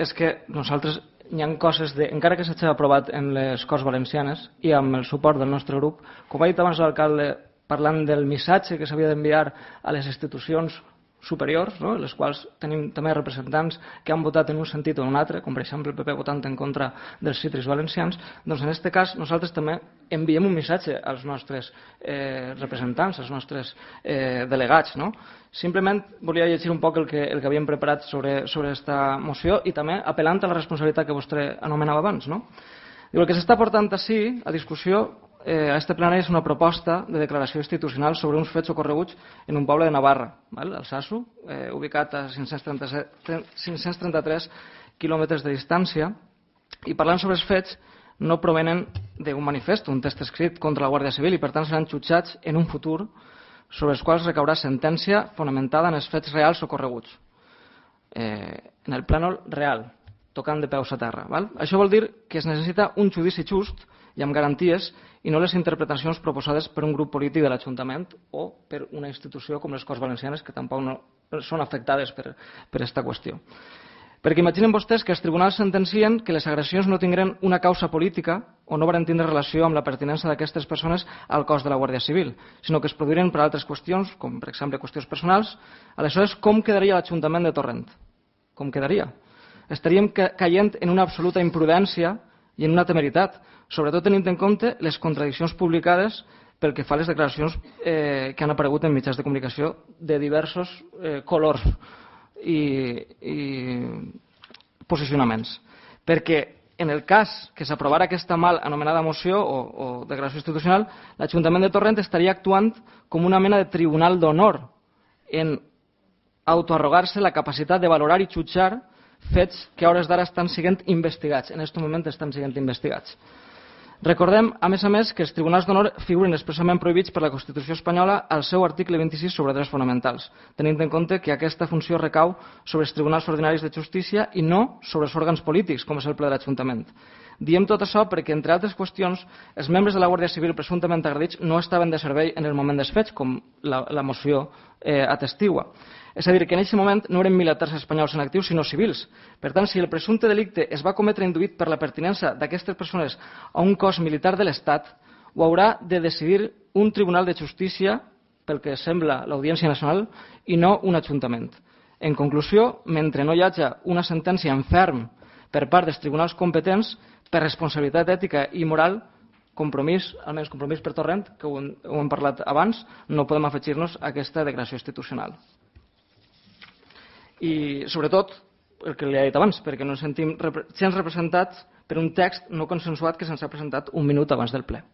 és que nosaltres hi ha coses, encara que s'hagi aprovat en les Corts Valencianes i amb el suport del nostre grup, com ha dit abans l'alcalde parlant del missatge que s'havia d'enviar a les institucions superiors, no? Les quals tenim també representants que han votat en un sentit o en un altre, com per exemple el PP votant en contra dels cítrics valencians, doncs en aquest cas nosaltres també enviem un missatge als nostres representants, als nostres delegats. No? Simplement volia llegir un poc el que havíem preparat sobre aquesta moció i també apel·lant a la responsabilitat que vostè anomenava abans. No? El que s'està portant ací a discussió a este plenari és una proposta de declaració institucional sobre uns fets ocorreguts en un poble de Navarra, el Sasso, ubicat a 533 quilòmetres de distància, i parlant sobre els fets no provenen d'un manifest, un text escrit contra la Guàrdia Civil, i per tant seran jutjats en un futur sobre els quals recaurà sentència fonamentada en els fets reals ocorreguts, en el plànol real, tocant de peus a terra. Això vol dir que es necessita un judici just i amb garanties i no les interpretacions proposades per un grup polític de l'Ajuntament o per una institució com les Corts Valencianes, que tampoc no són afectades per aquesta qüestió. Perquè imaginen vostès que els tribunals sentencien que les agressions no tindran una causa política o no van tindre relació amb la pertinença d'aquestes persones al cos de la Guàrdia Civil, sinó que es produiren per altres qüestions, com per exemple qüestions personals. Aleshores, com quedaria l'Ajuntament de Torrent? Com quedaria? Estaríem caient en una absoluta imprudència i en una temeritat, sobretot tenint en compte les contradiccions publicades pel que fa a les declaracions que han aparegut en mitjans de comunicació de diversos colors i posicionaments. Perquè en el cas que s'aprovara aquesta mal anomenada moció o declaració institucional, l'Ajuntament de Torrent estaria actuant com una mena de tribunal d'honor en autoarrogar-se la capacitat de valorar i jutjar fets que a hores d'ara estan sent investigats. En aquest moment estan sent investigats. Recordem, a més, que els tribunals d'honor figuren expressament prohibits per la Constitució espanyola al seu article 26 sobre drets fonamentals, tenint en compte que aquesta funció recau sobre els tribunals ordinaris de justícia i no sobre els òrgans polítics, com és el ple de l'Ajuntament. Diem tot això perquè, entre altres qüestions, els membres de la Guàrdia Civil presumptament agredits no estaven de servei en el moment dels fets, com la moció atestigua. És a dir, que en aquest moment no eren militars espanyols en actiu, sinó civils. Per tant, si el presumpte delicte es va cometre induït per la pertinença d'aquestes persones a un cos militar de l'Estat, ho haurà de decidir un tribunal de justícia, pel que sembla l'Audiència Nacional, i no un ajuntament. En conclusió, mentre no hi hagi una sentència en ferm per part dels tribunals competents, per responsabilitat ètica i moral, compromís, almenys compromís per Torrent, que ho hem parlat abans, no podem afegir-nos a aquesta declaració institucional. I, sobretot, el que li he dit abans, perquè no ens sentim gens representats per un text no consensuat que se'ns ha presentat un minut abans del ple.